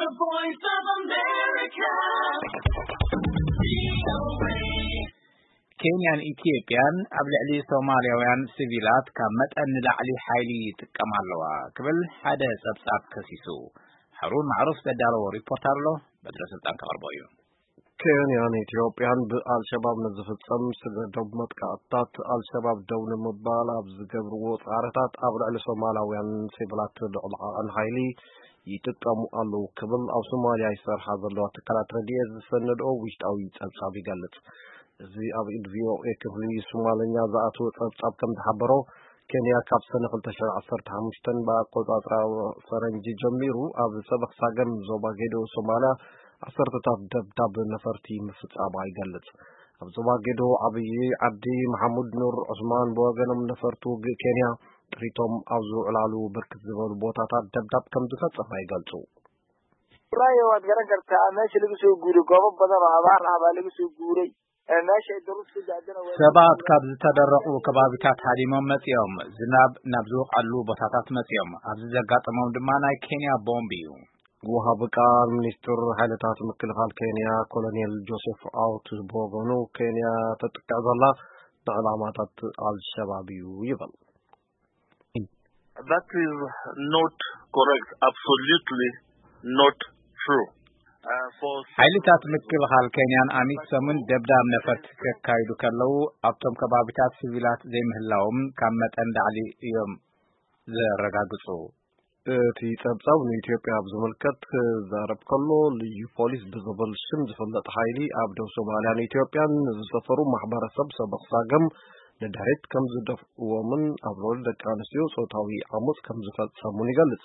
Voice of America. ኬንያን ኢትዮጵያን ኣብ ልዕሊ ሶማልያውያን ሲቪላት ካብ መጠን ንላዕሊ ሓይሊ ይጥቀማ ኣለዋ ክብል ሓደ ጸብጻብ ከሲሱ። ሃሩን ማዕሩፍ ዘዳለዎ ሪፖርት ኣሎ፣ በትረ ስልጣን ከቕርቦ እዩ። ኬንያን ኢትዮጵያን ብኣልሸባብ ንዝፍጸም ስግረ ዶብ መጥቃዕትታት ኣልሸባብ ደው ንምባል ኣብ ዝገብርዎ ጻዕርታት ኣብ ልዕሊ ሶማላውያን ሲቪላት ልዑል ዓቐን ሓይሊ ይጥቀሙ ኣለዉ ክብል ኣብ ሶማልያ ይሰርሓ ዘለዋ ትካላት ረድኤት ዝሰነድኦ ውሽጣዊ ጸብጻብ ይገልጽ። እዚ ኣብ ኢድ ቪኦኤ ክፍሊ ሶማልኛ ዝኣተወ ጸብጻብ ከም ዝሓበሮ፣ ኬንያ ካብ ሰነ ክልተ ሽሕን ዓሰርተ ሓሙሽተን ብኣቆጻጽራ ፈረንጂ ጀሚሩ ኣብ ሰበኽ ሳገም ዞባ ጌዶ ሶማልያ ዓሰርተታት ደብዳብ ነፈርቲ ምፍጻማ ይገልጽ። ኣብ ዞባ ጌዶ ዓብዪ ዓዲ መሓሙድ ኑር ዑስማን ብወገኖም ነፈርቲ ውግእ ኬንያ ጥሪቶም ኣብ ዝውዕላሉ ብርክት ዝበሉ ቦታታት ደብዳብ ከም ዝፈጸማ ይገልጹ። Rayo waad garan kartaa meesha lagu soo guuray goobo badan oo abaar ah baa lagu soo guuray. Ee, meesha ay daruus ku daadana waa ሰባት ካብ ዝተደረቑ ከባቢታት ሃዲሞም መጺኦም። ዝናብ ናብ ዝወቕዐሉ ቦታታት መጺኦም። ኣብዚ ዘጋጠሞም ድማ ናይ ኬንያ ቦምብ እዩ። ወሃቢ ቃል ሚኒስትር ሓይልታት ምክልኻል ኬንያ ኮሎኔል ጆሴፍ ኣውት ብወገኑ፣ ኬንያ ተጥቅዕ ዘላ ንዕላማታት ኣልሸባብ እዩ ይብል። That is not correct. Absolutely not true. Uh, for ሓይልታት ምክልኻል ኬንያን ኣሚሶምን ደብዳብ ነፈርቲ ከካይዱ ከለዉ ኣብቶም ከባቢታት ሲቪላት ዘይምህላዎም ካብ መጠን ላዕሊ እዮም ዘረጋግጹ። እቲ ጸብጻብ ንኢትዮጵያ ኣብ ዝምልከት ክዛረብ ከሎ፣ ልዩ ፖሊስ ብዝብል ሽም ዝፍለጥ ሓይሊ ኣብ ደቡብ ሶማልያን ኢትዮጵያን ንዝሰፈሩ ማሕበረሰብ ሰበኽ ሳገም ንድሕሪት ከም ዝደፍእዎምን ኣብ ልዕሊ ደቂ ኣንስትዮ ጾታዊ ዓመጽ ከም ዝፈጸሙን ይገልጽ።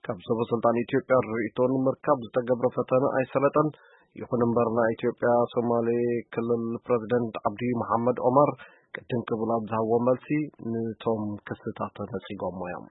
ካብ ሰበ ስልጣን ኢትዮጵያ ርእይቶ ንምርካብ ዝተገብረ ፈተነ ኣይሰለጠን። ይኹን እምበር፣ ናይ ኢትዮጵያ ሶማሌ ክልል ፕረዚደንት ዓብዲ መሓመድ ኦማር ቅድም ክብል ኣብ ዝሃብዎ መልሲ፣ ንቶም ክስታት ነጺጎሞ እዮም።